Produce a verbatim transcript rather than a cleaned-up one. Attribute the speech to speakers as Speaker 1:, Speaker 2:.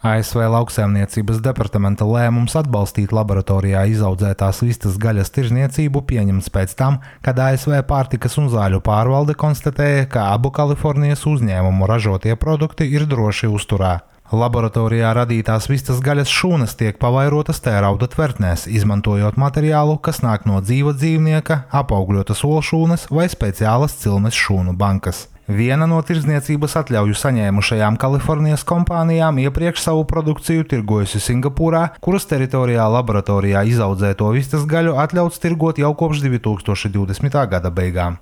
Speaker 1: A S V Lauksaimniecības departamenta lēmums atbalstīt laboratorijā izaudzētās vistas gaļas tirzniecību pieņemts pēc tam, kad A S V pārtikas un zāļu pārvalde konstatēja, ka abu Kalifornijas uzņēmumu ražotie produkti ir droši uzturā. Laboratorijā radītās vistas gaļas šūnas tiek pavairotas tērauda tvertnēs, izmantojot materiālu, kas nāk no dzīva dzīvnieka, apaugļotas olšūnas vai speciālas cilmes šūnu bankas. Viena no tirdzniecības atļauju saņēmušajām Kalifornijas kompānijām iepriekš savu produkciju tirgojusi Singapūrā, kuras teritorijā laboratorijā izaudzēto vistas gaļu atļauts tirgot jau kopš divi tūkstoši divdesmitā gada beigām.